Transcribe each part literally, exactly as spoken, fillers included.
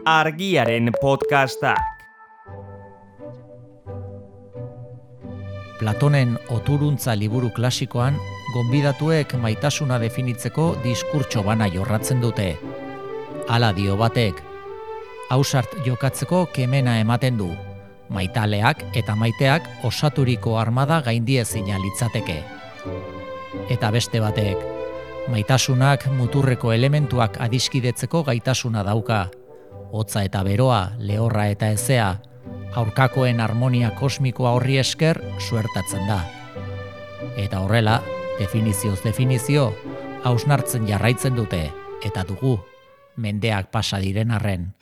Argiaren podcastak. Platonen Oturuntza liburu klasikoan, gonbidatuek maitasuna definitzeko diskurtso bana jorratzen dute. Hala dio batek, ausart jokatzeko kemena ematen du, maitaleak eta maiteak osaturiko armada gaindiezina litzateke. Eta beste batek, maitasunak muturreko elementuak adiskidetzeko gaitasuna dauka, hotza eta beroa, lehorra eta hezea, aurkakoen harmonia kosmikoa horri esker suertatzen da. Eta horrela, definizioz definizio, hausnartzen jarraitzen dute, eta dugu, mendeak pasa diren arren.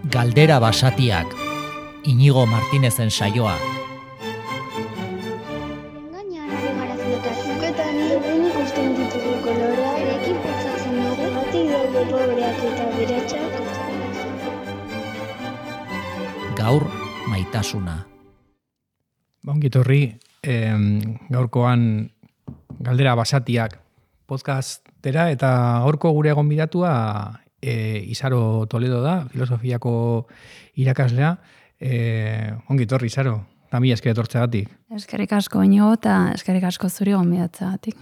Galdera basatiak, Inigo Martinezen saioa. Gainean ari gara flotazioak eta nire ikusten ditugu kolorea, erekin pentsatzen dugu, batik daude pobreak eta beratxak. Gaur, maitasuna. Ongitorri, eh, gaurkoan galdera basatiak podcastera eta gaurko gure gonbidatua eh, Isaro Toledo da, filosofiako irakaslea. Eh, ongitorri, Isaro, eta mila esker etortzeagatik. Eskerrik asko ino eta eskerrik asko zuri gonbidatzeagatik.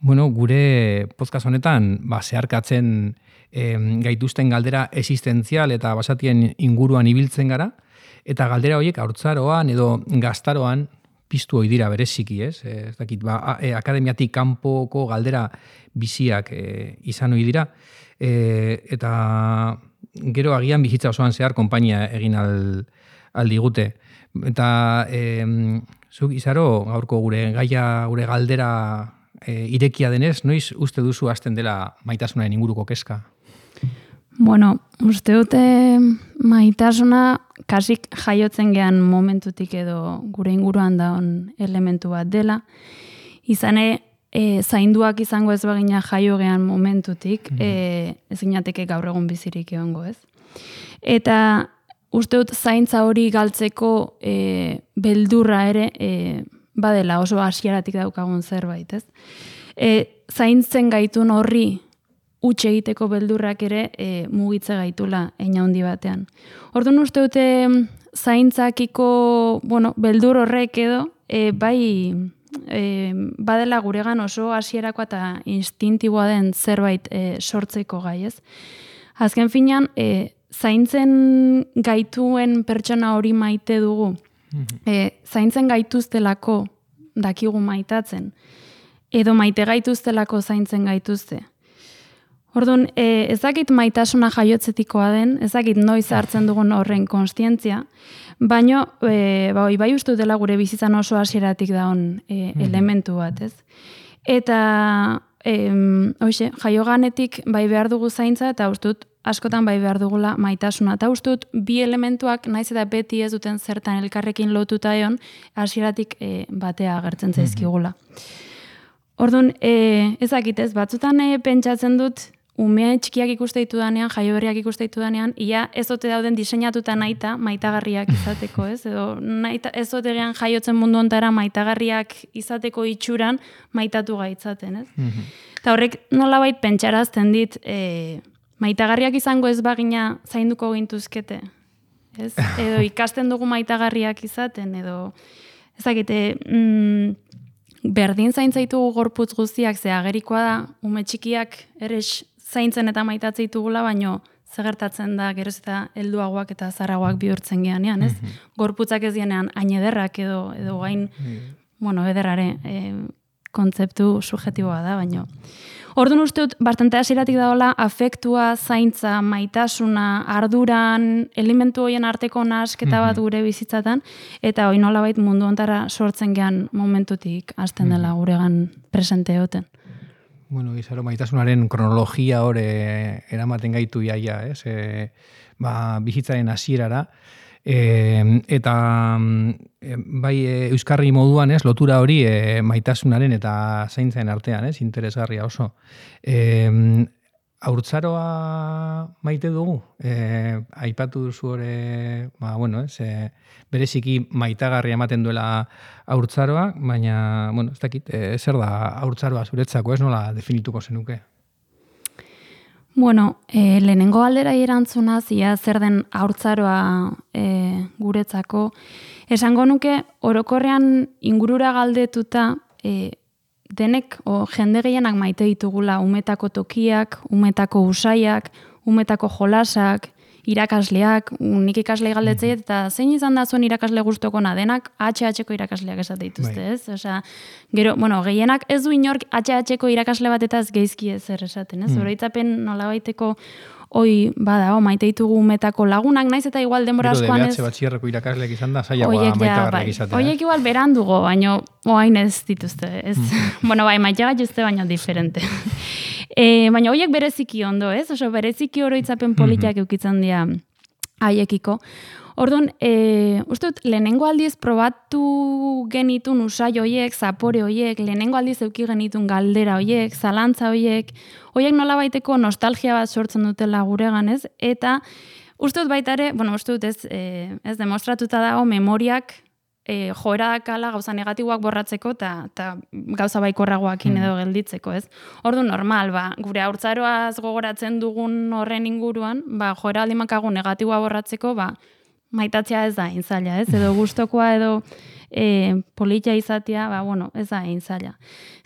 Bueno, gure podcast honetan ba, zeharkatzen eh, gaituzten galdera existentzial eta basatien inguruan ibiltzen gara, eta galdera horiek haurtzaroan edo gaztaroan piztu ohi dira bereziki, ez? Ez dakit, ba, e, akademiatik kanpoko galdera biziak e, izan ohi dira, e, eta gero agian bizitza osoan zehar konpainia egin al, aldigute. Eta e, zuk, Isaro, gaurko gure gaia, gure galdera e, irekia denez, noiz uste duzu hasten dela maitasunaren inguruko kezka? Bueno, uste dute maitasuna kasik jaiotzen gean momentutik edo gure inguruan daun elementu bat dela. Izane, e, zainduak izango ez bagina jaio gean momentutik, mm-hmm. e, ez ginateke gaur egun bizirik egongo ez. Eta uste dut zaintza hori galtzeko e, beldurra ere e, badela oso hasieratik daukagun zerbait, ez? E, zaintzen gaitun horri utxe egiteko beldurrak ere e, mugitze gaitula eina handi batean. Orduan uste dute zaintzakiko bueno, beldur horrek edo e, bai e, badela guregan oso hasierakoa eta instintiboa den zerbait e, sortzeko gai, ez? Azken finean, e, zaintzen gaituen pertsona hori maite dugu. E, zaintzen gaituztelako dakigu maitatzen. Edo maite gaituztelako zaintzen gaituzte. Orduan, e, ezakit maitasuna jaiotzetikoa den, ezakit noiz hartzen dugun horren konstientzia, baino, e, ba, bai uste dela gure bizitzan oso hasieratik daun e, elementu bat, ez? Eta, e, hoxe, jaioganetik bai behar dugu zaintza, eta uste dut askotan bai behar dugula maitasuna. Eta uste dut bi elementuak, naiz eta beti ez duten zertan elkarrekin lotuta egon, hasieratik e, batea agertzen zaizkigula. Orduan, e, ezakit ez, batzutan e, pentsatzen dut, ume txikiak ikuste ditu danean, jaio berriak ikuste ditu danean, ia ez ote dauden diseinatuta nahita, maitagarriak izateko, ez? Edo nahita, ez ote gean jaiotzen mundu ontara maitagarriak izateko itxuran maitatu gaitzaten, ez? Mm-hmm. Eta horrek nolabait pentsarazten dit, e, maitagarriak izango ez bagina zainduko gintuzkete, ez? Edo ikasten dugu maitagarriak izaten, edo ezakite, mm, berdin zaintzaitugu gorputz guztiak, ze agerikoa da, ume txikiak ere zaintzen eta maitatze ditugula, baino zegertatzen da geroz eta helduagoak eta zarragoak bihurtzen geanean, ez? Mm-hmm. Gorputzak ez dienean hain ederrak edo, edo gain, mm-hmm. bueno, ederrare e, kontzeptu subjetiboa da, baino. Orduan uste dut, bastante hasieratik daola, afektua, zaintza, maitasuna, arduran, elementu horien arteko nahasketa bat mm-hmm. gure bizitzatan, eta hori nolabait mundu ontara sortzen gean momentutik hasten dela guregan presente egoten. Bueno, Isaro, maitasunaren kronologia hori eramaten gaitu iaia, ez? E, ba, bizitzaren hasierara. E, eta e, bai e, euskarri moduan, ez, lotura hori e, maitasunaren eta zaintzen artean, ez, interesgarria oso. E, haurtzaroa maite dugu? E, aipatu duzu hori, ba, bueno, ez, e, bereziki maitagarria ematen duela haurtzaroa, baina, bueno, ez dakit, e, zer da haurtzaroa zuretzako, ez nola definituko zenuke? Bueno, e, lehenengo aldera erantzunaz, ia zer den haurtzaroa e, guretzako, esango nuke orokorrean ingurura galdetuta e, denek o, jende gehienak maite ditugula umetako tokiak, umetako usaiak, umetako jolasak, irakasleak, nik ikaslei galdetzei eta zein izan da zuen irakasle gustokona denak H H-ko irakasleak esate dituzte, ez? Osea, gero, bueno, gehienak ez du inork H H-ko irakasle batetaz geizki ezer esaten, ez? Oroitzapen nolabaiteko hoi bada, o, maite ditugu umetako lagunak, naiz eta igual denbora askoan ez. Gero de batxierreko irakasleak izan da, zailagoa maitagarriak izatea. Oiek igual berandugo, baino oain ez dituzte, ez? Bueno, bai, maite gaituzte, baino diferente. E, baina horiek bereziki ondo, ez? Oso bereziki oroitzapen politiak eukitzen dira haiekiko. Orduan, e, uste dut, lehenengo aldiz probatu genitun usai horiek, zapore horiek, lehenengo aldiz euki genitun galdera horiek, zalantza horiek, horiek nolabaiteko nostalgia bat sortzen dutela guregan, ez? Eta uste dut baita ere, bueno, uste dut ez, e, ez demostratuta dago memoriak E, joera dakala gauza negatiboak borratzeko eta gauza baikorragoakin edo gelditzeko, ez? Ordu normal, ba, gure haurtzaroaz gogoratzen dugun horren inguruan, ba, joera aldimakagu negatiboa borratzeko, ba, maitatzea ez da intzaila, ez? Edo gustokoa edo e, politia izatea, ba, bueno, ez da intzaila.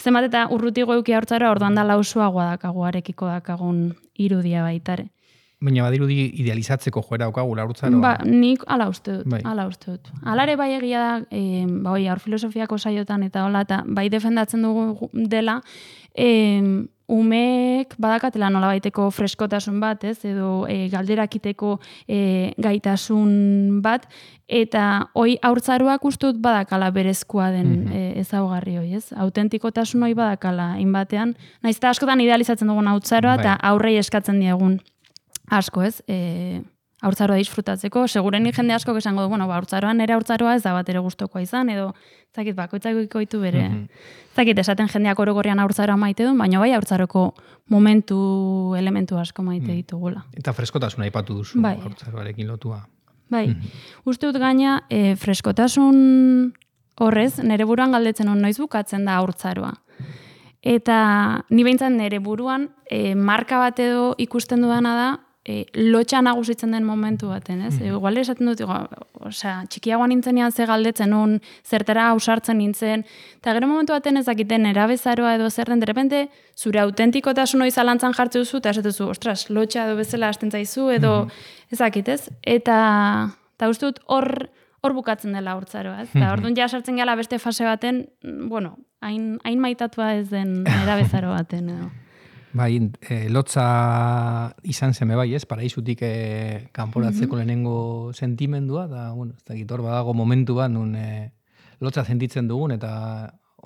Zenbat eta urrutigo euki haurtzaroa orduan da lausuagoa dakagu, arekiko dakagun irudia baitare. Baina badirudi idealizatzeko joera daukagu haurtzaroa. Ba, nik ala uste dut, bai. ala uste dut. Alare bai egia da, e, ba, oi, haur filosofiako saiotan eta hola, eta bai defendatzen dugu dela, e, umeek badakatela nolabaiteko freskotasun bat, ez, edo e, galderakiteko e, gaitasun bat, eta hoi haurtzaroak uste dut badakala berezkoa den mm-hmm. e, ezaugarri hoi, ez? Autentikotasun hoi badakala inbatean, naiz eta askotan idealizatzen dugun haurtzaroa, eta aurrei eskatzen diegun asko, ez, e, haurtzaroa disfrutatzeko, segurenik jende asko esango du, bueno, ba, haurtzaroan ere haurtzaroa ez da bat ere gustokoa izan, edo, zakit, bakoitzak ikoitu bere, mm-hmm. zakit, esaten jendeak orokorrean haurtzaroa maite du, baina bai haurtzaroko momentu, elementu asko maite mm. ditugula. Eta freskotasuna aipatu duzu, bai. haurtzaroarekin lotua. Bai, mm-hmm. uste dut gaina, e, freskotasun horrez, nere buruan galdetzen on noiz bukatzen da haurtzaroa. Eta ni behintzat nere buruan, e, marka bat edo ikusten dudana da, E, lotxa nagusitzen den momentu baten, ez? Mm. Igual esaten dut, osea, txikiagoan nintzenean ze galdetzen nun, zertara ausartzen nintzen, eta gero momentu baten ezakiten erabezaroa edo zer den, derrepente, zure autentikotasun hori zalantzan jartze duzu, eta esatezu, ostras, lotxa edo bezala hasten zaizu, edo mm. ezakitez, eta, eta uste dut hor, hor bukatzen dela haurtzaroa, ez? Eta orduan ja sartzen gala beste fase baten, bueno, hain, hain maitatua ez den erabezaro baten, edo. Bai, e, lotza izan zeme bai, ez? Paraizutik e, kanporatzeko mm-hmm. lehenengo sentimendua, da, bueno, ez dakit hor badago momentu bat, nun e, lotza sentitzen dugun, eta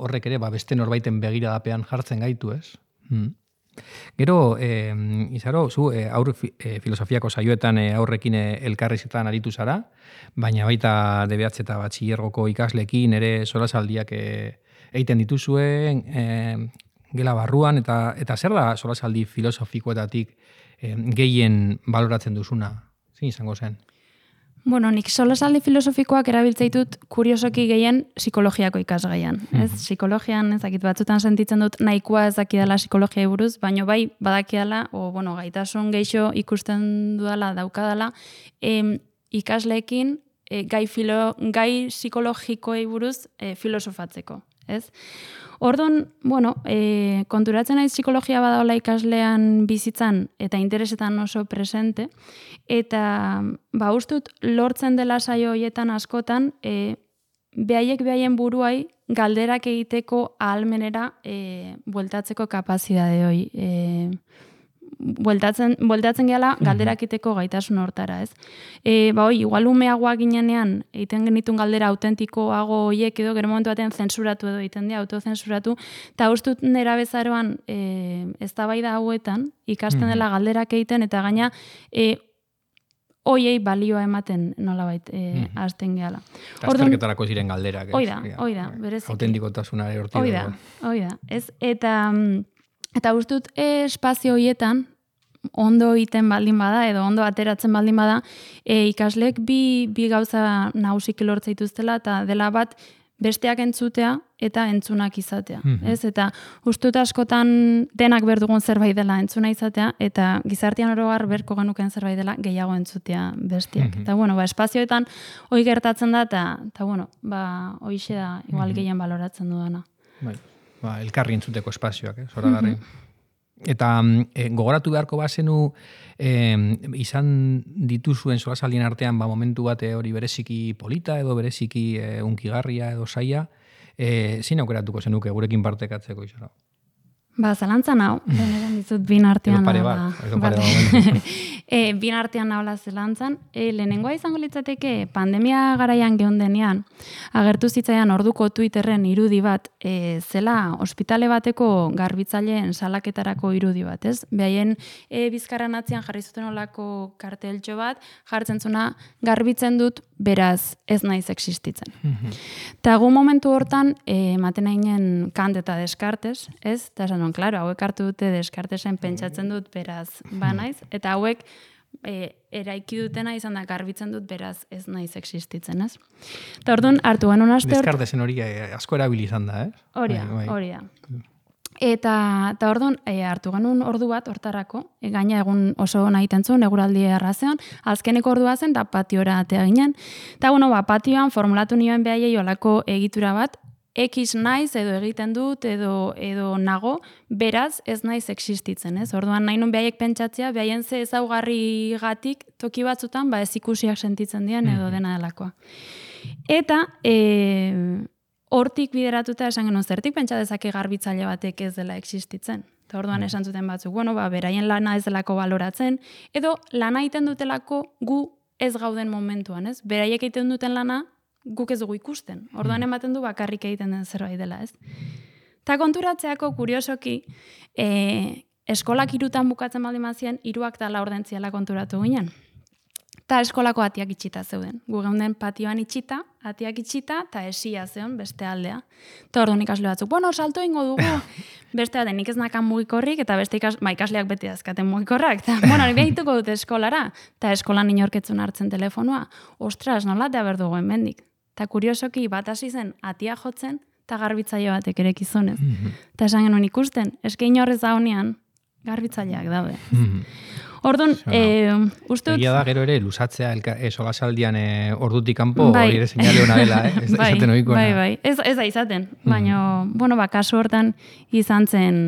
horrek ere, ba, beste norbaiten begiradapean jartzen gaitu, ez? Mm. Gero, e, izaro, zu, e, aur e, filosofiako saioetan e, aurrekin e, elkarrizetan aritu zara, baina baita D B H eta batxillergoko ikaslekin ere solasaldiak e, egiten dituzuen, e, gela barruan, eta eta zer da solasaldi filosofikoetatik eh, gehien baloratzen duzuna? Zein izango zen? Bueno, nik solasaldi filosofikoak erabiltzaitut kuriosoki gehien psikologiako ikasgaian. Mm-hmm. Ez, psikologian ezakit batzutan sentitzen dut nahikoa ezakidala psikologiai buruz, baino bai badakiala, o bueno, gaitasun geixo ikusten dudala daukadala, em, ikasleekin e, gai, filo, gai psikologikoei buruz e, filosofatzeko. Ez? Orduan, bueno, e, konturatzen naiz psikologia badaola ikaslean bizitzan eta interesetan oso presente, eta ba, ustut lortzen dela saio hoietan askotan, e, behaiek behaien buruai galderak egiteko ahalmenera e, bueltatzeko kapazidade hoi. E, bueltatzen, bueltatzen gehala galderakiteko gaitasun hortara, ez? E, ba, oi, igual umeagoa ginenean, egiten genitun galdera autentikoago hoiek edo, gero momentu batean zensuratu edo egiten dira, autozensuratu, eta ustut nera bezaroan e, eztabaida hauetan, ikasten dela galderak egiten, eta gaina, e, hoiei balioa ematen nolabait e, mm-hmm. hasten gehala. Azterketarako ziren galderak, ez? Oida, oida, bereziki. Autentikotasuna ere hortik. Oida, oida, ez? Eta... Eta ustut e, espazio horietan, ondo egiten baldin bada, edo ondo ateratzen baldin bada, e, ikaslek bi, bi gauza nagusiki lortza dituztela, eta dela bat, besteak entzutea eta entzunak izatea. Mhm. Ez? Eta ustut askotan denak berdugun zerbait dela entzuna izatea, eta gizartean orogar berko genuken zerbait dela gehiago entzutea besteak. Mhm. Eta bueno, ba, espazioetan hoi gertatzen da, eta, eta bueno, ba, hoixe da igual Mhm. gehien baloratzen dudana. Bai, ba, elkarri entzuteko espazioak, eh, zoragarri. Eta e, gogoratu beharko bazenu e, izan dituzuen solasaldien artean ba, momentu bat e, hori bereziki polita edo bereziki e, unkigarria edo saia, e, zin aukeratuko zenuke gurekin partekatzeko izara? Ba, zalantzan hau, benetan dizut bin artean Edo pare nahola. bat, edo pare Vale. bat momentu. e, bin artean nahola zelantzan. E, lehenengoa izango litzateke pandemia garaian geundenean, agertu zitzaidan orduko Twitterren irudi bat, e, zela ospitale bateko garbitzaileen salaketarako irudi bat, ez? Behaien e, bizkarran atzian jarri zuten olako karteltxo bat, jartzen zuna garbitzen dut, beraz ez naiz existitzen. Eta gu momentu hortan, e, ematen hainen Kant eta Descartes, ez? Eta esan, claro, hauek hartu dute Descartesen pentsatzen dut, beraz, ba naiz, eta hauek e, eraiki dutena izan da garbitzen dut, beraz, ez naiz existitzen, ez? Eta orduan, hartu genuen aste hor... Descartesen hori e, asko erabili izan da, eh? Hori da, Bai, bai. hori da. Eta, eta orduan, e, hartu genuen ordu bat hortarako, e, gaina egun oso nahi tentzun, eguraldi errazean, azkeneko ordua zen, da patiora atea ginen. Eta, bueno, ba, patioan formulatu nioen behaiei olako egitura bat, X naiz edo egiten dut edo edo nago, beraz ez naiz existitzen, ez? Orduan nahi nun behaiek pentsatzea, behaien ze ezaugarrigatik toki batzutan ba ez ikusiak sentitzen dien edo dena delakoa. Eta e, hortik bideratuta esan genuen zertik pentsa dezake garbitzaile batek ez dela existitzen. Eta orduan esan zuten batzuk, bueno, ba, beraien lana ez delako baloratzen, edo lana egiten dutelako gu ez gauden momentuan, ez? Beraiek egiten duten lana guk ez dugu ikusten. Orduan ematen du bakarrik egiten den zerbait dela, ez? Ta konturatzeako kuriosoki, e, eskolak hirutan bukatzen baldin bazien, hiruak eta laur dentziala konturatu ginen. Ta eskolako atiak itxita zeuden. Gu geunden patioan itxita, atiak itxita, eta esia zeon beste aldea. Ta orduan ikasle batzuk, bueno, salto ingo dugu. Beste baten, nik ez nakan mugikorrik, eta beste ikas, ba, ikasleak beti azkaten mugikorrak. Ta, bueno, hori behituko dute eskolara. Ta eskolan inorketzun hartzen telefonua. Ostras, nola da berdugu hemendik. Eta kuriosoki bat hasi zen atia jotzen, eta garbitzaile batek ere gizonez. Eta esan genuen ikusten, eske inorrez daunean, garbitzaileak daude. Orduan, e, uste dut... Egia da gero ere, lusatzea elka, e, solasaldian e, ordutik kanpo, bai. hori ere seinale hona dela, eh? Ez da bai, izaten ohikoena. bai, bai, ez, ez da izaten, baina, bueno, ba, kasu hortan izan zen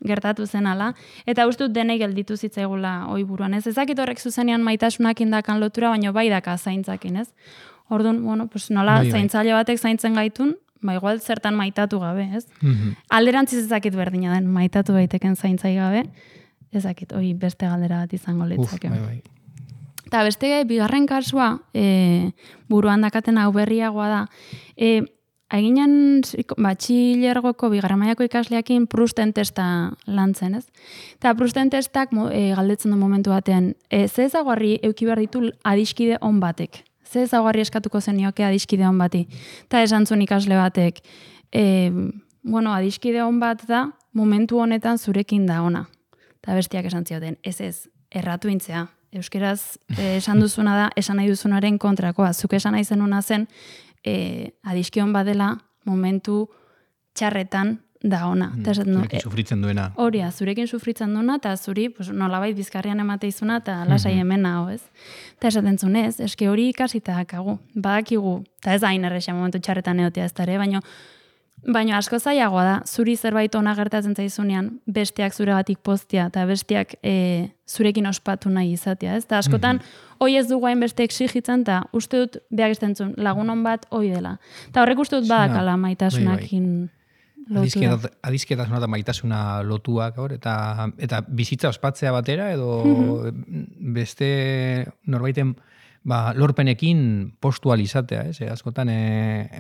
gertatu zen ala, eta uste dut denei gelditu zitzaigula oi buruan, ez? Ezakit horrek zuzenean maitasunak indakan lotura, baina bai daka zaintzakin, ez? Orduan, bueno, pues nola Bai, bai. zaintzaile batek zaintzen gaitun, ba igual zertan maitatu gabe, ez? Mhm. Alderantziz ezakit berdina den, maitatu daiteken zaintzai gabe, ezakit, hoi beste galdera bat izango Uf, litzake. bai, bai. Eta beste bigarren kasua, e, buruan dakaten hau berriagoa da, e, Aiginen batxilergoko bigarren mailako ikasleakin Prusten testa lantzen, ez? Eta Prusten testak e, galdetzen du momentu batean, e, ze ezaguarri euki behar ditu adiskide on batek? Ze ezaguarri eskatuko zenioke adiskide on bati? Eta esan zuen ikasle batek, e, bueno, adiskide on bat da, momentu honetan zurekin da ona. Eta bestiak esan zioten, ez ez, erratu intzea. Euskeraz e, esan duzuna da, esan nahi duzunaren kontrakoa. Zuk esan nahi zenuna zen, e, adiskion badela momentu txarretan da ona. Mm, Ta esaten du, zurekin sufritzen duena. Hori, zurekin sufritzen duena, eta zuri pues, nolabait bizkarrian emate izuna, eta lasai hemen hau, ez? Eta esaten zuen ez, eske hori ikasita dakagu, badakigu, eta ez da hain errexea momentu txarretan egotea ez da ere, baina Baina asko zailagoa da, zuri zerbait ona gertatzen zaizunean, besteak zuregatik poztia, eta besteak e, zurekin ospatu nahi izatea, ez? Eta askotan, hoi ez dugu hain beste exigitzen, eta uste dut, behar estentzun, lagunon bat hoi dela. Eta horrek uste dut badakala maitasunakin lotura. Adizketasuna eta maitasuna lotuak, hor, eta, eta bizitza ospatzea batera, edo beste norbaiten ba, lorpenekin postualizatea, ez? E, askotan e,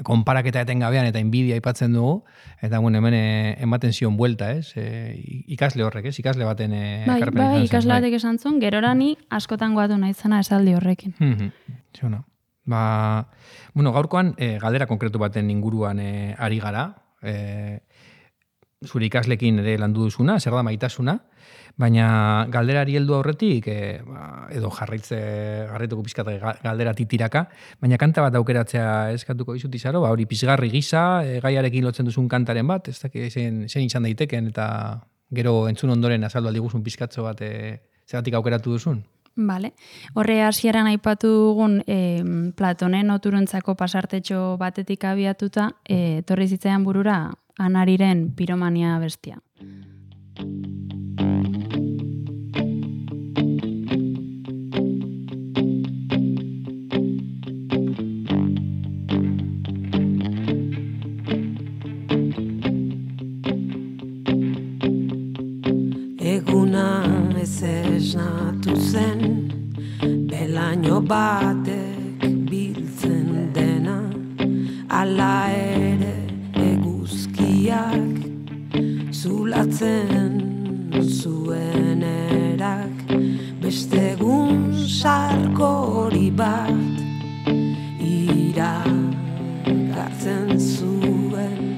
konparaketa etengabean eta inbidia aipatzen dugu, eta bueno, hemen e, ematen zion buelta, ez? E, ikasle horrek, ez? Ikasle baten e, bai, ekarpen bai, izan zen, ikasle batek esan zuen, gerorani askotan goatu nahi zena esaldi horrekin. Ziona. Ba, bueno, gaurkoan e, galdera konkretu baten inguruan e, ari gara. E, zure ikaslekin ere landu duzuna, zer da maitasuna, baina galderari heldu aurretik, e, ba, edo jarraitze, jarraituko pizkat galdera titiraka, baina kanta bat aukeratzea eskatuko dizut Izaro, ba, hori pizgarri gisa, e, gaiarekin lotzen duzun kantaren bat, ez dakit zen, zen izan daiteken, eta gero entzun ondoren azaldu aldiguzun pizkatzo bat, e, zeratik aukeratu duzun? Vale. Horre hasieran aipatu dugun e, Platonen oturuntzako pasartetxo batetik abiatuta, e, torri zitzaidan burura Anariren piromania bestia. Eguna ez esnatu zen, belaino batek biltzen dena, ala ere eguzkiak zulatzen zuen erak, beste egun sarkori bat iragartzen zuen,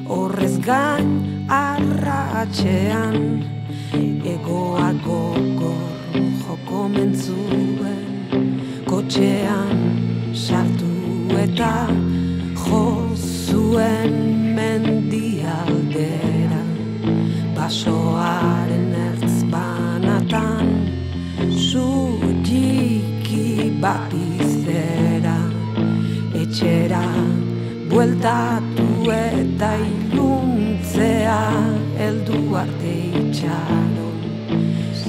horrez gain arratxean egoak gogor joko mentzuen, kotxean sartu eta jo zuen mendialdera, basoaren ertz banatan zutiki bat izera, etxera bueltatu eta iluntzea heldu arte itxaron,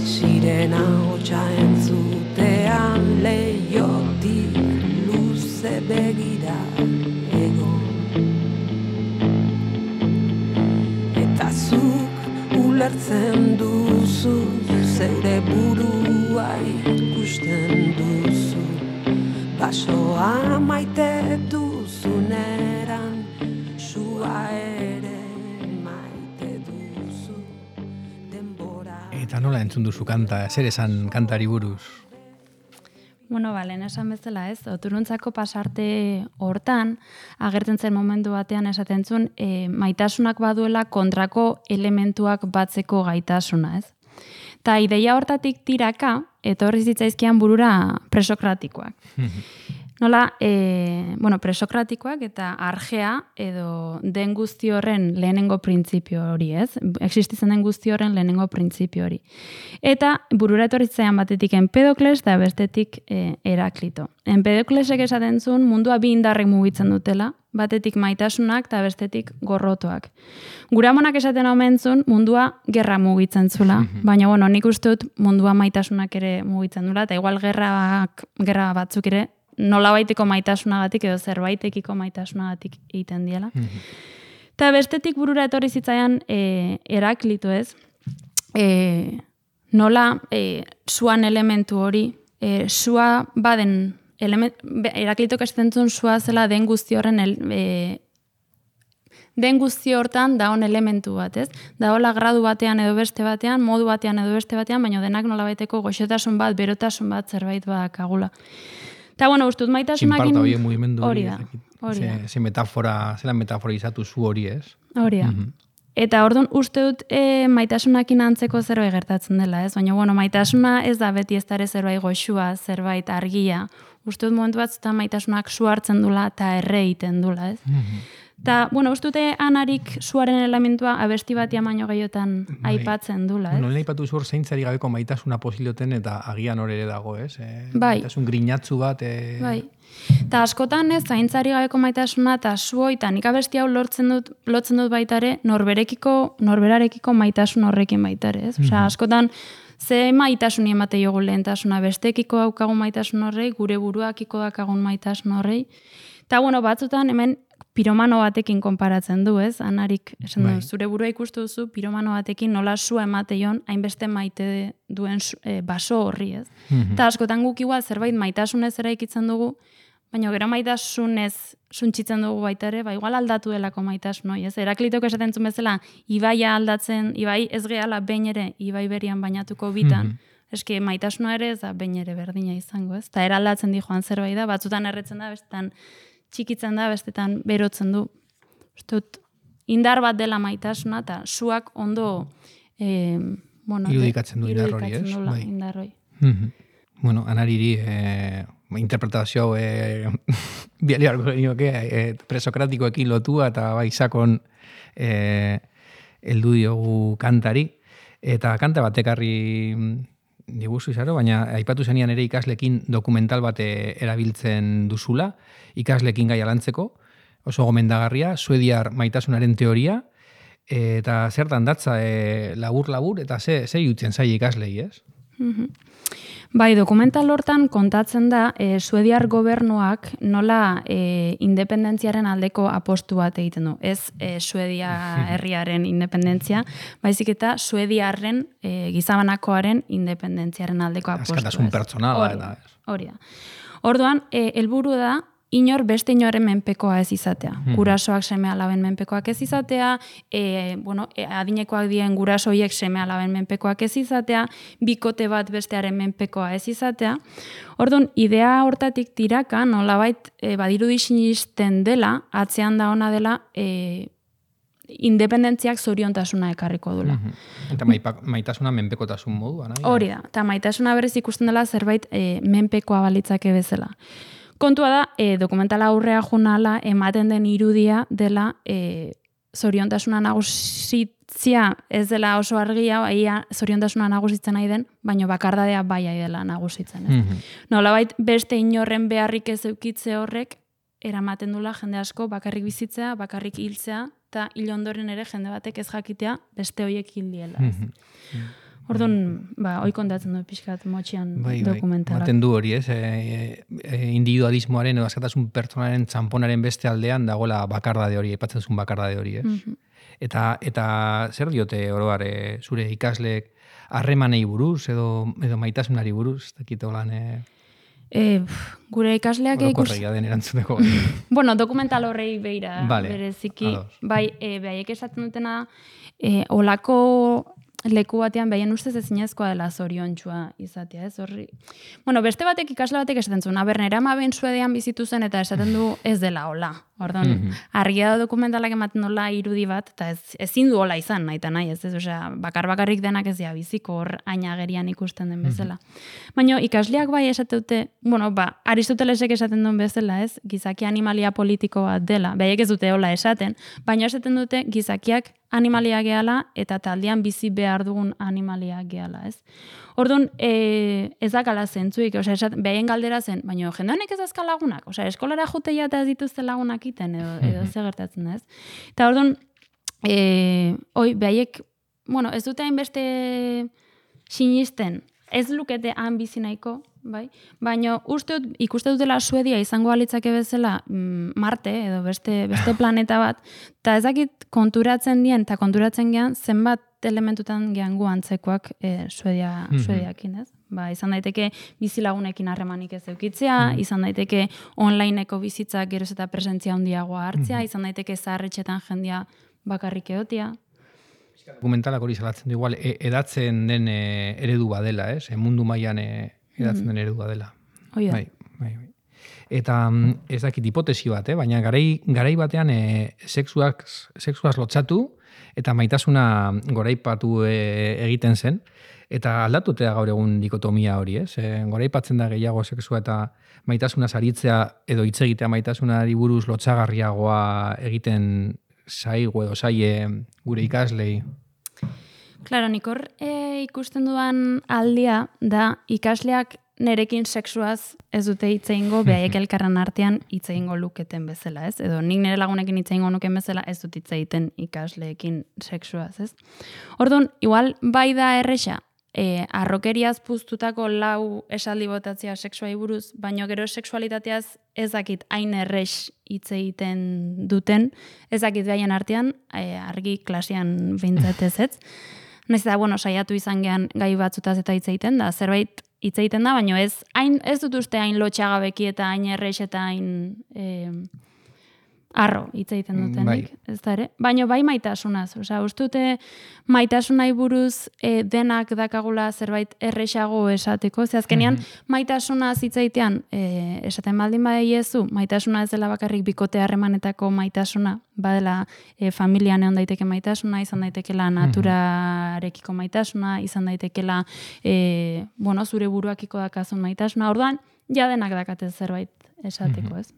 sirena hotxa entzutean leiotik luze begira egon. Eta zuk ulertzen duzu, zeure burua ikusten duzu, basoa maite duzuneran, sua ere maite duzu, denbora. Eta nola entzun duzu kanta, zer esan kantari buruz? Bueno, balen esan bezala ez, oturuntzako pasarte hortan, agertzen zen momentu batean esaten zuen, e, maitasunak baduela kontrako elementuak batzeko gaitasuna, ez? Ta ideia hortatik tiraka, etorri zitzaizkian burura presokratikoak. Nola, e, bueno, presokratikoak eta argea edo den guzti horren lehenengo printzipio hori, ez? Existitzen den guzti horren lehenengo printzipio hori. Eta burura etorri zitzaidan batetik Empedokles eta bestetik e, Heraklito. Empedoklesek esaten zuen mundua bi indarrek mugitzen dutela, batetik maitasunak eta bestetik gorrotoak. Guramonak esaten omen zuen mundua gerra mugitzen zula, baina bueno, nik uste dut mundua maitasunak ere mugitzen dula, eta igual gerrak, gerra batzuk ere nolabaiteko maitasunagatik edo zerbaitekiko maitasunagatik egiten diela. Eta bestetik burura etorri zitzaian e, Heraklito ez, e, nola e, suan elementu hori, e, sua baden, element, Heraklitok esaten zuen sua zela den guzti horren el, e, den guzti hortan daon elementu bat, ez? Daola gradu batean edo beste batean, modu batean edo beste batean, baina denak nolabaiteko goxotasun bat, berotasun bat zerbait badakagula. Eta, bueno, ustut maitasunakin... Txinparta hori mugimendu hori da. Hori da. Ze metafora, zela metafora izatu zu hori ez? Hori da. Mm-hmm. Eta orduan uste dut e, maitasunakin antzeko zerbait gertatzen dela, ez? Baina, bueno, maitasuna ez da beti ez dara zerbait goxua, zerbait argia. Uste dut momentu bat zuta maitasunak su hartzen dula eta erre egiten dula, ez? Mm-hmm. Eta, bueno, uste dute Anarik suaren elementua abesti batia baino gehiotan bai. Aipatzen dula, ez? Bueno, lehen aipatu zuen zeintzari gabeko maitasuna posiloten eta agian hor ere dago, ez? E, bai. Maitasun grinatzu bat. E... Bai. Eta askotan ez, zaintzari gabeko maitasuna eta suoita nik abesti hau lortzen dut, lotzen dut baitare, norberekiko, norberarekiko maitasun horrekin baitare, ez? Osea, askotan, ze maitasuni emate jogu lehentasuna, bestekiko daukagun maitasun horrei, gure buruakiko daukagun maitasun horrei. Eta, bueno, batzutan hemen piromano batekin konparatzen du, ez? Anarik, esan du, zure burua ikustu duzu, piromano batekin nola sua emateion, hainbeste maite duen e, baso horri, ez? Mm-hmm. Eta askotan guk igual zerbait maitasunez eraikitzen dugu, baina gero maitasunez suntxitzen dugu baita ere, ba, igual aldatu delako maitasun hori, ez? Heraklitok esaten zuen bezala, ibaia aldatzen, ibai ez gehala behin ere, ibai berian bainatuko bitan, mm-hmm. eske maitasuna ere ez da behin ere berdina izango, ez? Eta eraldatzen di joan zerbait da, batzutan erretzen da, bestetan txikitzen da, bestetan berotzen du. Ustut, indar bat dela maitasuna, eta zuak ondo e, bueno, irudikatzen du indar hori, irudikatzen ez? dula Bai. indar hori. Mhm. Bueno, anariri eh, interpretazio hau eh, bialiarko genioke eh, presokratikoekin lotua eta bai sakon eh, heldu diogu kantari. Eta kanta batekarri diguzu izaro, baina aipatu zenian ere ikaslekin dokumental bate erabiltzen duzula, ikaslekin gai alantzeko, oso gomendagarria, suediar maitasunaren teoria, eta zertan datza e, labur-labur, eta ze, ze jutzen zai ikaslei, ez? Mhm. Bai, dokumental hortan kontatzen da e, suediar gobernuak nola e, independentziaren aldeko apostu bat egiten du. Ez e, Suedia herriaren independentzia, baizik eta suediarren e, gizabanakoaren independentziaren aldeko apostu. Askatasun pertsonala eta ez. Hori da. Orduan, e, helburu da inor beste inoren menpekoa ez izatea. Gurasoak seme alaben menpekoak ez izatea, e, bueno, e, adinekoak dien gurasoiek seme alaben menpekoak ez izatea, bikote bat bestearen menpekoa ez izatea. Orduan, idea hortatik tiraka, nolabait e, badirudi sinisten dela, atzean da ona dela, e, independentziak zoriontasuna ekarriko dula. Eta maipa, maitasuna menpekotasun moduan. Hori da, eta maitasuna berez ikusten dela zerbait e, menpekoa balitzake bezala. Kontua da, e, dokumentala aurrea junala ematen den irudia dela e, zoriontasuna nagusitzia ez dela oso argia, ia zoriontasuna nagusitzen nahi den, baina bakardadea bai dela nagusitzen. Ez? Mm-hmm. Nolabait beste inorren beharrik ez eukitze horrek, eramaten dula jende asko bakarrik bizitzea, bakarrik hiltzea, eta hil ondoren ere jende batek ez jakitea beste hoiek hil diela. Mm-hmm. Orduan, ba, hoi kontatzen du pixkat motxian bai, dokumentala. Bai, du hori, ez? E, e, individualismoaren edo askatasun pertsonaren txamponaren beste aldean dagoela bakardade hori, epatzen zuen bakardade hori, ez? Mm-hmm. Eta, eta zer diote oroar e, zure ikasleek harremanei buruz edo, edo maitasunari buruz, ez dakit holan... E... E, gure ikasleak ikus... Orokorregia den erantzuteko. Bueno, dokumental horrei beira vale, bereziki. ados. Bai, e, behaiek esaten dutena, e, olako leku batean behien ustez ezinezkoa dela zoriontsua izatea, ez horri. Bueno, beste batek ikasle batek esaten zuen, aber nera amaben Suedian bizitu zen eta esaten du ez dela hola. Orduan, mm-hmm. argia da dokumentalak ematen dola irudi bat, eta ez, ezin du hola izan, nahi eta nahi, ez, ez, osea, bakar-bakarrik denak ez dira biziko hor ainagerian ikusten den bezala. Mm-hmm. Baina ikasleak bai esate dute, bueno, ba, Aristotelesek esaten duen bezala, ez, gizaki animalia politiko bat dela, behaiek ez dute hola esaten, baina esaten dute gizakiak animalia gehala eta taldean bizi behar dugun animalia gehala, ez. Orduan, e, ez dakala zentzuik, osea, behaien galdera zen, baina jende honek ez azka lagunak, osea, eskolara juteia eta ez dituzte lagunak iten, edo, edo ze gertatzen, ez. Eta orduan, e, oi, behaiek, bueno, ez dute hainbeste sinisten, ez lukete han bizi nahiko, bai? Baina uste dut, ikuste dutela Suedia izango balitzake bezala mm, Marte edo beste, beste planeta bat, eta ez dakit konturatzen dien, eta konturatzen gean zenbat elementutan gean gu antzekoak e, Suedia, mm-hmm. Suediakin, ez? Ba, izan daiteke bizilagunekin harremanik ez eukitzea, mm-hmm. izan daiteke onlineko bizitzak geroz eta presentzia handiagoa hartzea, mm-hmm. izan daiteke zaharretxetan jendia bakarrik egotia. Dokumentalak hori salatzen du igual, e, edatzen den e, eredu badela, ez? E, mundu mailan e, edatzen den eredua dela. Oi da. Bai, bai, bai. Eta ez dakit hipotesi bat, eh? Baina garai, garai batean e, sexuak, sexuaz lotzatu eta maitasuna goraipatu e, egiten zen. Eta aldatutea gaur egun dikotomia hori, ez? E, goraipatzen da gehiago sexua eta maitasuna saritzea edo hitz egitea maitasunari buruz lotsagarriagoa egiten zaigu edo zaie gure ikaslei. Claro, nik hor e, ikusten duan aldia da ikasleak nerekin sexuaz ez dute hitz egingo, behaiek elkarren artean hitz egingo luketen bezala, ez? Edo nik nire lagunekin hitz egingo nuken bezala ez dut hitz egiten ikasleekin sexuaz, ez? Orduan, igual bai da erresa, e, arrokeriaz puztutako lau esaldi botatzea sexuai buruz, baino gero sexualitateaz ez dakit hain erres hitz egiten duten, ez dakit behaien artean, e, argi klasean behintzatez ez. Naiz eta, bueno, saiatu izan gean gai batzutaz eta hitz egiten da, zerbait hitz egiten da, baina ez, hain, ez dut uste hain lotxagabeki eta hain erres eta hain, e, arro hitz egiten dutenik, Bai. ez da ere? Baina bai maitasunaz, osea, ustute maitasunai buruz e, denak dakagula zerbait erresago esateko, ze azkenean maitasunaz hitz egitean e, esaten baldin badiezu, maitasuna ez dela bakarrik bikote harremanetako maitasuna, badela e, familian egon daiteke maitasuna, izan daitekela naturarekiko maitasuna, izan daitekela e, bueno, zure buruakiko dakazun maitasuna, orduan ja denak dakate zerbait esateko, ez?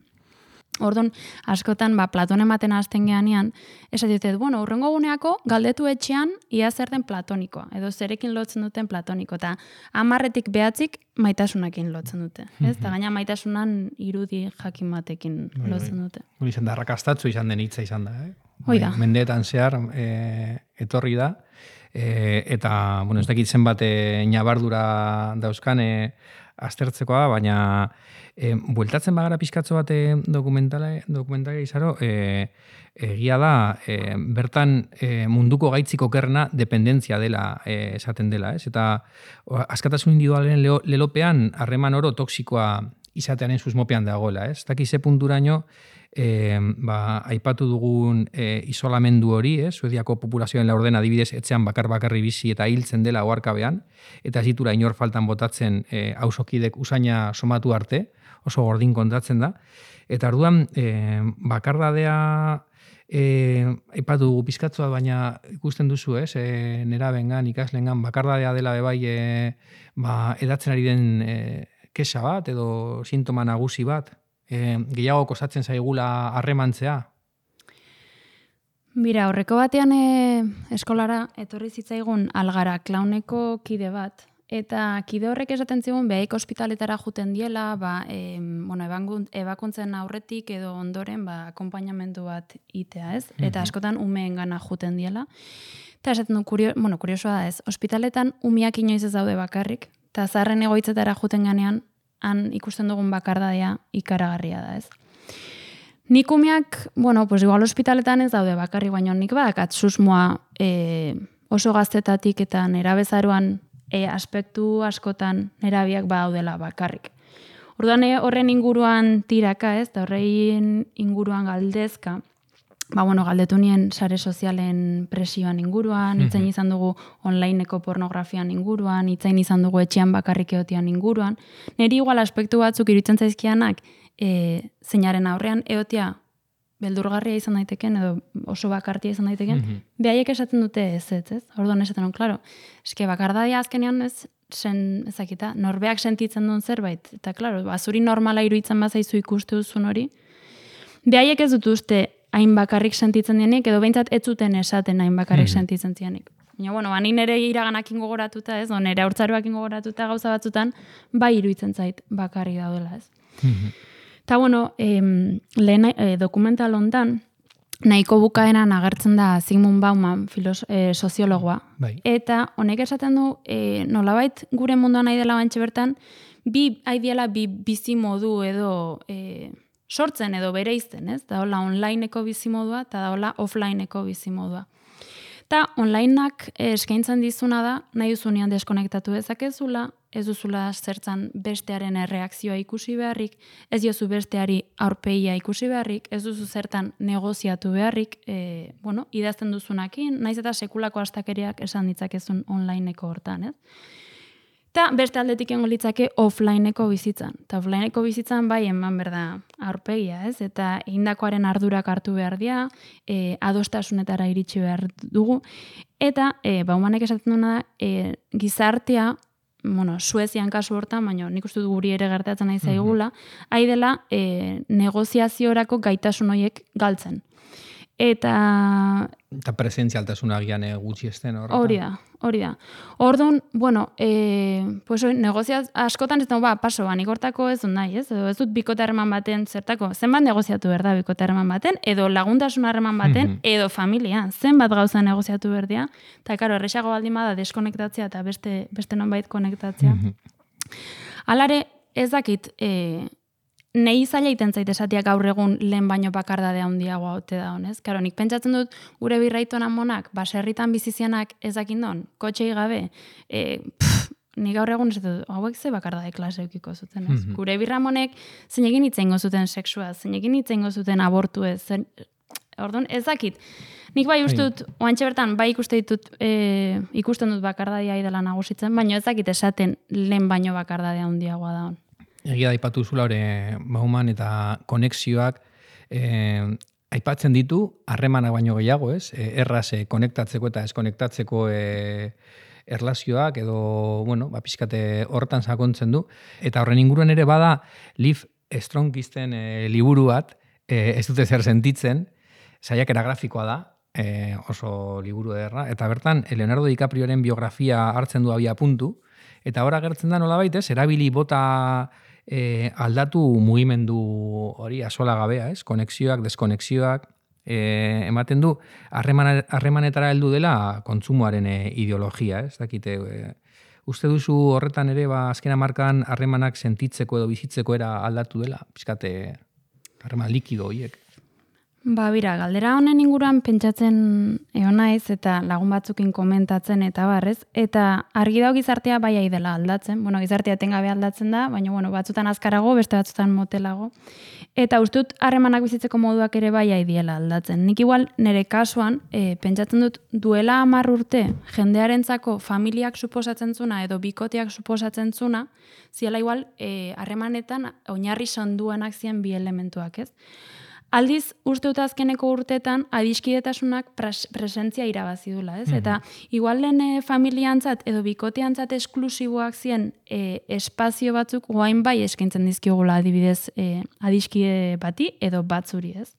Orduan, askotan, ba, Platon ematen hasten geanean, esatetet, bueno, urrengo guneako galdetu etxean ia zer den platonikoa, edo zerekin lotzen duten platoniko, eta hamarretik behatzik maitasunakin lotzen dute, ez? Eta gaina maitasunan irudi jakin batekin lotzen dute. Hori izan da, arrakastatzu izan den hitza izan da, eh? Hoi da. Mendeetan zehar e, etorri da, e, eta, bueno, ez dakit zenbat e, nabardura dauzkan e, aztertzekoa, baina e, bueltatzen bagara pizkatzo bat dokumentala, dokumentala izaro, e, egia da, e, bertan e, munduko gaitzik okerrena dependentzia dela e, esaten dela, ez? Eta o, askatasun individualen leo, lelopean harreman oro toksikoa izatearen susmopean dagoela, ez? Taki ze punturaino E, ba, aipatu dugun e, isolamendu hori, eh? Suediako populazioen laurden adibidez etxean bakar-bakarri bizi eta hiltzen dela oharkabean, eta ez ditura inor faltan botatzen e, hausokidek usaina somatu arte, oso gordin kontatzen da. Eta orduan e, bakardadea e, aipatu dugu pizkatzoa, baina ikusten duzu, ez? E, nerabengan, ikaslengan, bakardadea dela bebai e, ba, edatzen ari den e, kexa bat edo sintoma nagusi bat. E, gehiago kostatzen zaigula harremantzea? Mira, horreko batean e, eskolara etorri zitzaigun Algara klauneko kide bat, eta kide horrek esaten zigun behaik ospitaletara juten diela, ba, e, bueno, ebakuntzen aurretik edo ondoren ba, akonpainamendu bat itea, ez? Eta askotan umeen gana juten diela. Eta esaten du, kurio, bueno, kuriosoa da ez, ospitaletan umiak inoiz ez daude bakarrik, eta zaharren egoitzetara juten ganean, han ikusten dugun bakardadea ikaragarria da, ez. Nik umeak, bueno, pues igual ospitaletan ez daude bakarri, baina nik badakat susmoa e, oso gaztetatik eta nerabezaroan e, aspektu askotan nerabiak badaudela bakarrik. Orduan horren inguruan tiraka, ez, da horrein inguruan galdezka, ba, bueno, galdetu nien sare sozialen presioan inguruan, itzain izan dugu onlineko pornografian inguruan, itzain izan dugu etxean bakarrik egotean inguruan. Neri igual aspektu batzuk iruditzen zaizkianak e, zeinaren aurrean egotea beldurgarria izan daiteken edo oso bakartia izan daiteken, mm -hmm. behaiek esaten dute ez, ez, ez? Orduan esaten duen, klaro, eske bakardadia azkenean ez, sen, ezakita, norbeak sentitzen duen zerbait, eta klaro, ba, zuri normala iruditzen bazaizu ikuste duzun hori, behaiek ez dut uste hain bakarrik sentitzen dienik, edo behintzat ez zuten esaten hain bakarrik mm-hmm. sentitzen dienik. Ja, bueno, ba, ni nire iraganakin gogoratuta, ez, o nire haurtzaroakin gogoratuta gauza batzutan, bai iruditzen zait bakarrik daudela, ez. Mm-hmm. Ta, bueno, em, lehen e, dokumental hontan, nahiko bukaeran agertzen da Zygmunt Bauman, filos, e, soziologoa. Bai. Eta honek esaten du, e, nolabait gure munduan nahi dela bantxe bertan, bi, haidiela bi bizi modu edo... E, sortzen edo bereizten, ez? Da hola onlineko bizimodua eta da hola offlineko bizimodua. Eta onlineak eskaintzen dizuna da, nahi duzunean deskonektatu dezakezula, ez duzula zertzan bestearen erreakzioa ikusi beharrik, ez diozu besteari aurpegia ikusi beharrik, ez duzu zertan negoziatu beharrik, e, bueno, idazten duzunakin, naiz eta sekulako astakeriak esan ditzakezun onlineko hortan, ez? Eta beste aldetik egongo litzake offlineko bizitzan. Eta offlineko bizitzan bai eman berda aurpegia, ez? Eta egindakoaren ardurak hartu behar dira, e, adostasunetara iritsi behar dugu. Eta e, Baumanek esaten duena da, e, gizartea, bueno, Suezian kasu hortan, baina nik uste du guri ere gertatzen nahi zaigula, hai dela e, negoziaziorako gaitasun horiek galtzen. Eta... Eta presentzialtasuna gian gutxi esten horretan. Hori da, hori da. Orduan, bueno, e, pues, negoziaz, askotan ez da, ba, paso, ba, nik hortako ez dut nahi, ez? Edo ez dut bikote harreman baten zertako, zenbat negoziatu behar da bikote harreman baten, edo laguntasun harreman baten, mm-hmm. edo familia, zenbat gauza negoziatu behar dira. Eta, karo, erresago baldin bada deskonektatzea eta beste, beste nonbait konektatzea. Mm-hmm. Alare, ez dakit... E, Nei zaila iten zait esatia gaur egun lehen baino bakardadea handiagoa ote da honez. Karo, nik pentsatzen dut gure birraitoan amonak, baserritan bizizianak ezakin don, kotxei gabe, e, pff, ni gaur egun ez dut, hauek ze bakardade klase eukiko zuten, ez? Gure birramonek zein egin itzengo zuten sexua, zein egin itzengo zuten abortu ez, zen, orduan, ez dakit. Nik bai uste dut, oantxe bertan, bai ikuste ditut, e, ikusten dut bakardadia idela nagusitzen, baina ez dakit esaten lehen baino bakardadea handiagoa da hon. Egia da ipatu zula hori Bauman eta konexioak eh, aipatzen ditu harremanak baino gehiago, ez? E, erraz e, konektatzeko eta eskonektatzeko e, erlazioak edo, bueno, ba, pixkate horretan sakontzen du. Eta horren inguruan ere bada Liv Strongisten e, liburu bat, e, ez dute zer sentitzen, saiakera grafikoa da, e, oso liburu ederra, eta bertan Leonardo DiCaprioren biografia hartzen du abia puntu, eta hor agertzen da nolabait, ez? Erabili bota e, aldatu mugimendu hori asola gabea, ez? Konexioak, deskonexioak, e, ematen du harreman, harremanetara heldu dela kontsumoaren e, ideologia, ez? Dakite, e, uste duzu horretan ere ba azken hamarkadan harremanak sentitzeko edo bizitzeko era aldatu dela, pizkate harreman likido horiek. Ba, bira, galdera honen inguruan pentsatzen egon naiz eta lagun batzukin komentatzen eta barrez, eta argi dago gizartea bai ai dela aldatzen. Bueno, gizartea etengabe aldatzen da, baina bueno, batzutan azkarago, beste batzutan motelago. Eta uste dut harremanak bizitzeko moduak ere bai ai diela aldatzen. Nik igual nire kasuan e, pentsatzen dut duela hamar urte jendearentzako familiak suposatzen zuna edo bikoteak suposatzen zuna, ziela igual harremanetan e, oinarri sonduenak ziren bi elementuak, ez? Aldiz, uste dut azkeneko urtetan adiskidetasunak pres- presentzia irabazi dula, ez? Mm-hmm. Eta igual lehen e, familiantzat edo bikoteantzat esklusiboak ziren e, espazio batzuk guain bai eskaintzen dizkigula adibidez e, adiskide bati edo batzuri, ez?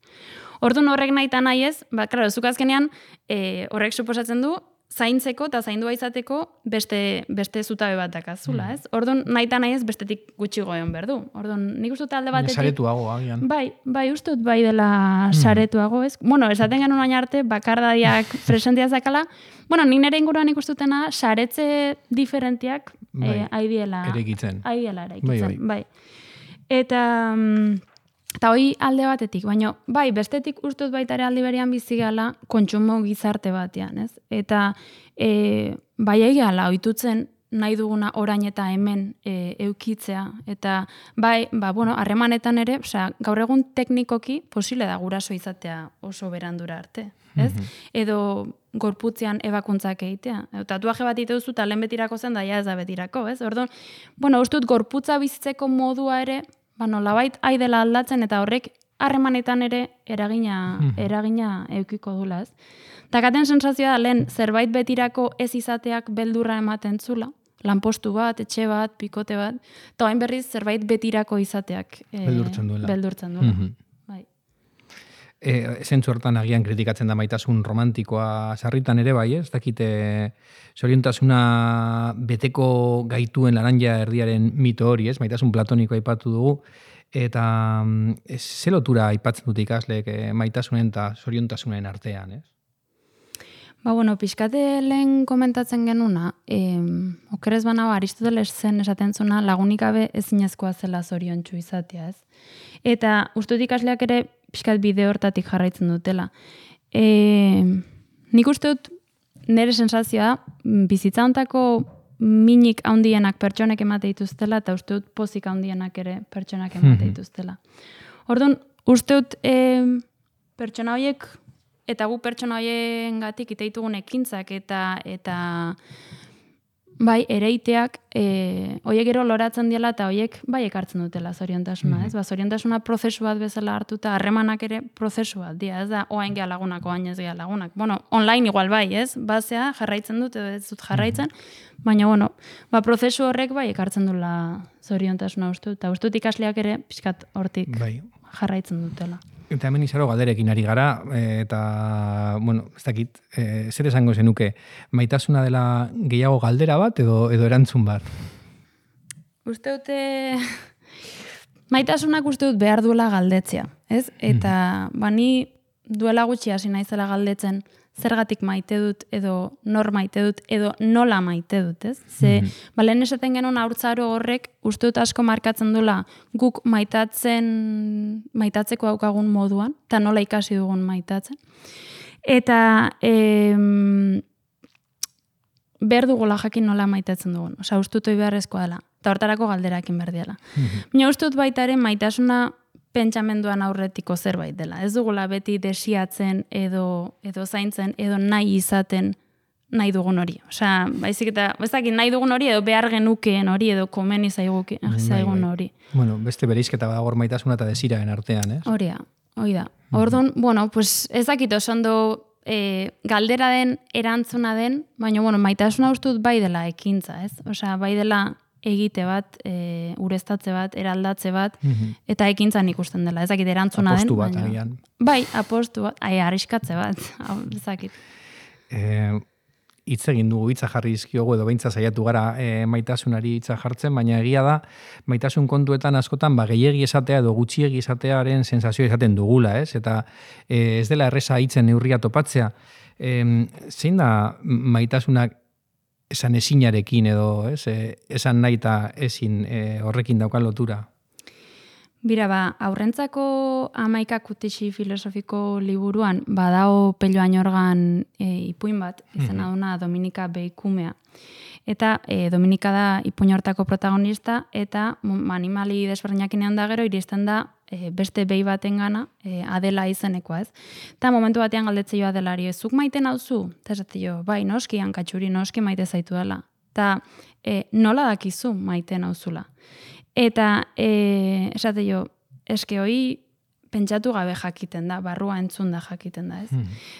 Orduan horrek nahi eta nahi ez, ba, klaro, zuk azkenean e, horrek suposatzen du zaintzeko eta zaindua izateko beste, beste zutabe bat dakazula, ez? Orduan, nahi eta nahi ez bestetik gutxi goion berdu. Orduan, nik uste dut alde batetik... Saretuago, agian. Bai, bai, uste dut bai dela saretuago, ez? Bueno, esaten genuen baina arte, bakardadiak presentia zakala, bueno, nik nire inguruan ikustutena, saretze diferentiak bai, eh, aidiela... Eraikitzen. Aidiela eraikitzen, bai. bai. Eta... Eta hoi alde batetik, baina bai, bestetik ustut baita ere aldi berean bizigala kontsumo gizarte batean, ez? Eta e, bai egala ohitutzen nahi duguna orain eta hemen e, eukitzea. Eta bai, ba, bueno, harremanetan ere, osea, gaur egun teknikoki posible da guraso izatea oso berandura arte, ez? Mm-hmm. Edo gorputzean ebakuntzak egitea. Tatuaje bat ite duzu eta lehen betirako zen, da ja ez da betirako, ez? Orduan, bueno, ustut gorputza bizitzeko modua ere, ba, nolabait ai dela aldatzen eta horrek harremanetan ere eragina, eragina eukiko dula, ez? Takaten sensazioa da lehen zerbait betirako ez izateak beldurra ematen zula, lanpostu bat, etxe bat, pikote bat, eta hain berriz zerbait betirako izateak e, beldurtzen duela. Beldurtzen duela. Mm-hmm. Bai. E, zentzu hortan agian kritikatzen da maitasun romantikoa sarritan ere bai, ez dakite zoriontasuna beteko gaituen laranja erdiaren mito hori, ez? Maitasun platonikoa aipatu dugu, eta ez, ze lotura aipatzen dute ikasleek e, maitasunen eta zoriontasunen artean, ez? Ba, bueno, pixkate lehen komentatzen genuna, eh, okerez banago Aristoteles zen esaten zuna lagunik gabe ezinezkoa zela zoriontsu izatea, ez? Eta ustut ikasleak ere pixkat bide hortatik jarraitzen dutela. E, nik uste dut nire sensazioa bizitza hontako minik handienak pertsonek emate dituztela eta uste dut pozik handienak ere pertsonak emate dituztela. Orduan, uste dut e, pertsona horiek eta gu pertsona horiengatik iteitugun ekintzak eta eta bai, ereiteak e, horiek gero loratzen diela eta horiek bai ekartzen dutela zoriontasuna, ez? Ba, zoriontasuna prozesu bat bezala hartuta, harremanak ere prozesu bat dira, ez da, oain geha lagunak, oain ez geha lagunak. Bueno, online igual bai, ez? Basea jarraitzen dut edo ez dut jarraitzen, baina, bueno, ba, prozesu horrek bai ekartzen dula zoriontasuna uste dut, eta uste dut ikasleak ere pixkat hortik bai jarraitzen dutela. Eta hemen izaro galderekin ari gara, eta, bueno, ez dakit, e, zer esango zenuke, maitasuna dela gehiago galdera bat edo edo erantzun bat? Uste dute, maitasunak uste dut behar duela galdetzea, ez? Eta, mm. bani duela gutxi hasi naizela galdetzen, zergatik maite dut, edo nor maite dut, edo nola maite dut, ez? Ze, mm-hmm. balen esaten genuen haurtzaro horrek, uste dut asko markatzen dula guk maitatzen, maitatzeko daukagun moduan, eta nola ikasi dugun maitatzen. Eta, em, behar dugula jakin nola maitatzen dugun. Osa, ustut hoi beharrezkoa dela. Eta hortarako galderakin behar diala. Baina ustut baitaren maitasuna pentsamenduan aurretiko zerbait dela. Ez dugula beti desiatzen edo, edo zaintzen edo nahi izaten nahi dugun hori. Osea, baizik eta, bezakit nahi dugun hori edo behar genukeen hori edo komeni zaigun zaigun hori. Bueno, beste bereizketa badago maitasuna eta desiraren artean, ez? Hori da, hori da. Orduan, bueno, pues ez dakit oso ondo e, galdera den, erantzuna den, baina, bueno, maitasuna ustut bai dela ekintza, ez? Osea, bai dela egite bat, e, ureztatze bat, eraldatze bat, eta ekintzan ikusten dela. Ez dakit erantzuna den. Apostu bat, baina, agian. Bai, apostu bat, ai, arriskatze bat, ez dakit. Eh, hitz egin dugu, hitza jarri dizkiogu edo beintza saiatu gara e, maitasunari hitza jartzen, baina egia da, maitasun kontuetan askotan ba, gehiegi esatea edo gutxiegi esatearen sensazioa izaten dugula, ez? Eta e, ez dela erreza hitzen neurria topatzea. E, zein da maitasunak esan ezinarekin edo, ez? E, esan nahi eta ezin e, horrekin daukan lotura? Bira, ba, aurrentzako hamaika kutixi filosofiko liburuan badao Pello Añorgan e, ipuin bat, izena duna Dominika Beikumea. Eta e, Dominika da ipuin hortako protagonista, eta animali desberdinak da gero, iristen da e, beste behi baten gana, e, Adela izenekoa ez. Eta momentu batean galdetzei jo Adelari, zuk maite nauzu? Eta esate jo, bai, noski hankatxuri, noski maite zaitu dela. Eta e, nola dakizu maite nauzula? Eta, e, esate jo, eske hoi pentsatu gabe jakiten da, barrua entzun da jakiten da, ez?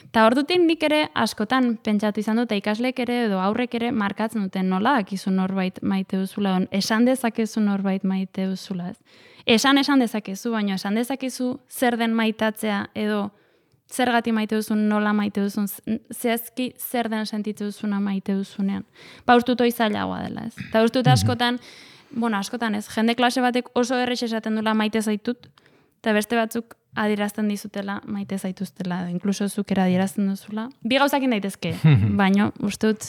Eta hor dutik nik ere askotan pentsatu izan dut, ikaslek ere edo aurrek ere markatzen duten nola dakizu norbait maite duzula, esan dezakezu norbait maite duzula, ez? Esan esan dezakezu, baina esan dezakezu zer den maitatzea edo zergatik maite duzun, nola maite duzun, zehazki zer den sentitu duzuna maite duzunean. Ba, ustut hoi zailagoa dela, ez? Eta ustut askotan, bueno, askotan ez, jende klase batek oso errex esaten dula maite zaitut, eta beste batzuk adierazten dizutela maite zaituztela, edo inkluso zukera adierazten duzula. Bi gauzakin daitezke, baino, ustut,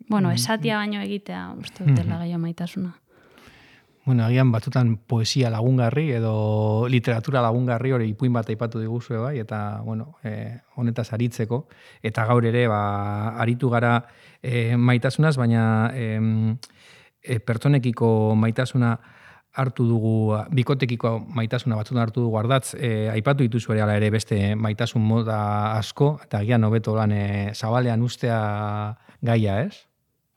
bueno, esatia baino egitea, ustut dela gehiago maitasuna. Bueno, agian batzutan poesia lagungarri edo literatura lagungarri hori ipuin bat aipatu diguzue bai, eta bueno, e, honetaz aritzeko, eta gaur ere ba, aritu gara e, maitasunaz, baina e, e, pertsonekiko maitasuna hartu dugu, bikotekiko maitasuna batzutan hartu dugu ardatz, e, aipatu dituzu ere, ere beste maitasun moda asko, eta agian hobeto lan e, zabalean ustea gaia, ez?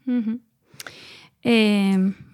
Mhm. E,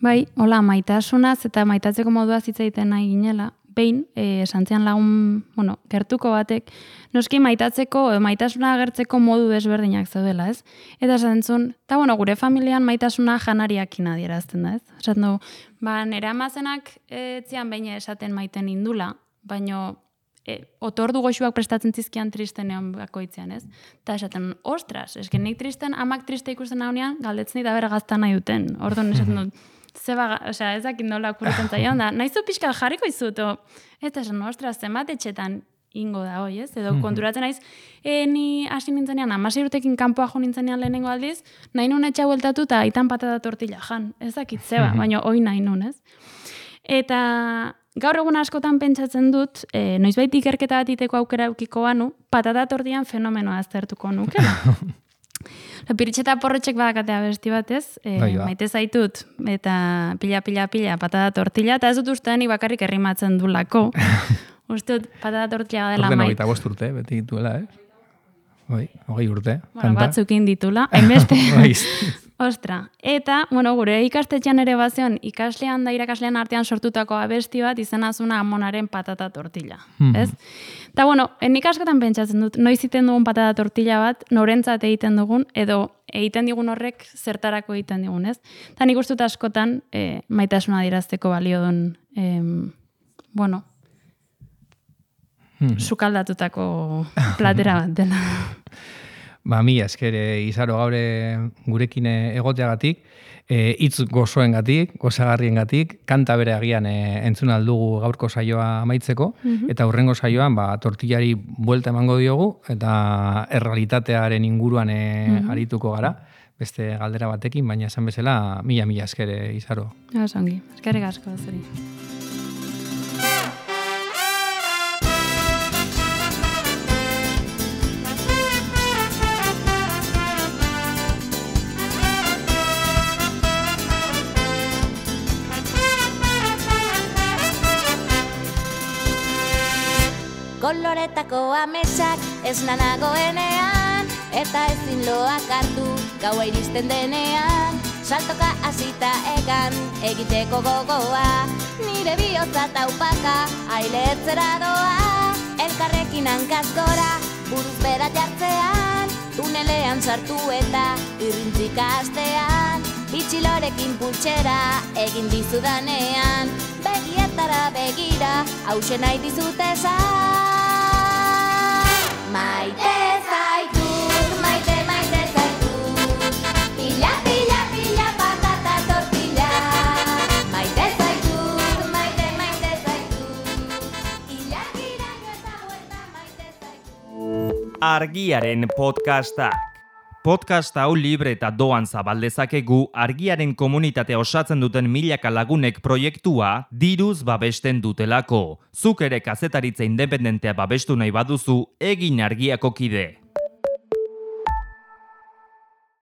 bai, hola, maitasunaz eta maitatzeko modua hitz egiten nahi ginela, behin, e, santzian lagun, bueno, gertuko batek, noski maitatzeko, e, maitasuna agertzeko modu desberdinak zaudela, ez? Eta esaten zuen, eta bueno, gure familian maitasuna janariakin adierazten da, ez? Esaten du, ba, nire amazenak e, etzian behin esaten maiten indula, baino e, otordu goxuak prestatzen zizkian tristenean bakoitzean, ez? Eta esaten, ostras, eske nik tristen, amak triste ikusten naunean, galdetzen dira bera gazta nahi duten. Orduan esaten dut, zeba, osea, ezakit nola kurretzen zaion da, nahizu pixka jarriko izut, o, eta esan, ostras, zenbat etxetan ingo da hoi, ez? Edo konturatzen naiz, e, ni hasi nintzenean, amasei urtekin kanpoa jo nintzenean lehenengo aldiz, nahi nun etxa bueltatu eta aitan patata tortilla jan, ezakit zeba, baina hoi nahi nun, ez? Eta gaur egun askotan pentsatzen dut, e, noizbait ikerketa bat iteko aukera eukiko banu, patata tortillan fenomenoa aztertuko nukela. Piritxeta porrotxek badakatea besti batez, e, maite zaitut, eta pila, pila, pila, patata tortilla, eta ez dut ustean bakarrik errimatzen du lako. Uste dut patata tortilla dela maite. Horten bost urte, beti dituela, eh? Oi, hogei urte. Bueno, batzukin ditula, hainbeste. Ostra, eta, bueno, gure ikastetxean ere bazion, ikaslean da irakaslean artean sortutako abesti bat izenazuna amonaren patata tortilla, ez? Eta, bueno, nik askotan pentsatzen dut, noiz egiten dugun patata tortilla bat, norentzat egiten dugun, edo egiten digun horrek zertarako egiten digun, ez? Eta nik uste dut askotan e, maitasuna adierazteko balio duen, e, bueno, hmm. sukaldatutako platera bat dela. Ba, mi eskere izaro gaure gurekin egoteagatik, e, hitz gozoengatik, gozagarriengatik, kanta bere agian e, entzun aldugu gaurko saioa amaitzeko, mm-hmm. eta hurrengo saioan ba, tortillari buelta emango diogu, eta errealitatearen inguruan e, mm-hmm. arituko gara, beste galdera batekin, baina esan bezala, mila-mila eskere izaro. Osongi, eskerrik asko zuri. koloretako ametsak ez nanagoenean, eta ezin loak hartu gaua iristen denean, saltoka hasita egan egiteko gogoa, nire bihotza taupaka ailetzera doa, elkarrekin hankaz gora buruz bera jartzean, tunelean sartu eta irrintzika astean, itxilorekin pultsera egin dizudanean, begietara begira hausen nahi dizut esan. Maite zaitut, maite, maite zaitut, pila, pila, pila, patata tortilla. Maite zaitut, maite, maite zaitut, hilak iraino eta huerta maite zaitut. Argiaren podcastak. Podcast hau libre eta doan zabal dezakegu Argiaren komunitatea osatzen duten milaka lagunek proiektua diruz babesten dutelako. Zuk ere kazetaritza independentea babestu nahi baduzu, egin Argiako kide.